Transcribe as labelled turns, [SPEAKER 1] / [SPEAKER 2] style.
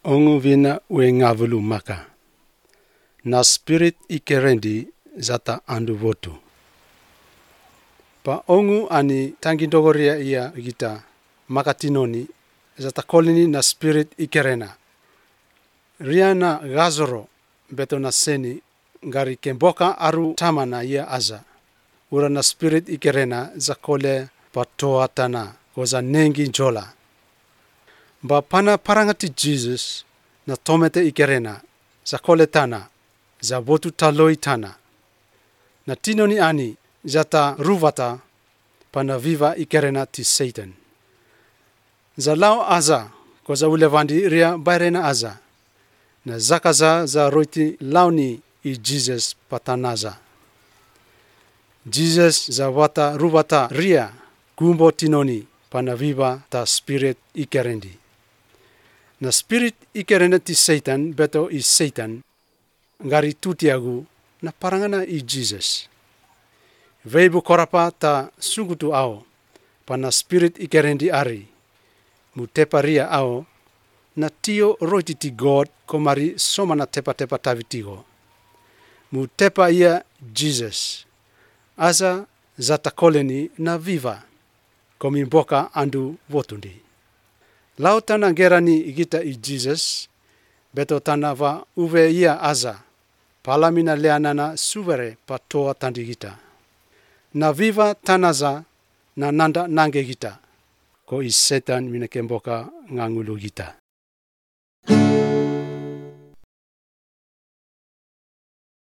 [SPEAKER 1] ongu vina we ngavulu maka. Na spirit ikerendi zata andu votu. Pa ongu ani tangindogoria ia gita makatinoni zata kolini na spirit ikerena. Riana gazoro beto na seni ngari kemboka aru tamana ia aza. Ura na spirit ikerena zakole patoa tana koza nengi jola. Ba pana parangati Jesus na tomete ikerena zakole tana za votu taloi tana. Na tinoni ani zata ruvata pana viva ikerena ti Satan. Za lao aza koza ulevandi ria bairena aza. Na zakaza za roiti launi i Jesus patanaza. Jesus za wata ruvata ria gumbo tinoni pana viva ta spirit ikerendi. Na spirit ikerena ti Satan beto i Satan ngari tutiagu na parangana i Jesus. Veibu korapa ta sugutu ao pana spirit ikerendi ari mutepa ria ao na tio roiti ti God komari somana tepa tavitigo. Mutepa ia Jesus. Aza zata koleni na viva komimboka andu votundi. Lau tana gerani igita i Jesus beto tana va uve ia aza palamina leanana suvere patoa tandigita. Na viva tanaza na nanda nange gita ko i Satan minakemboka ngangulu gita.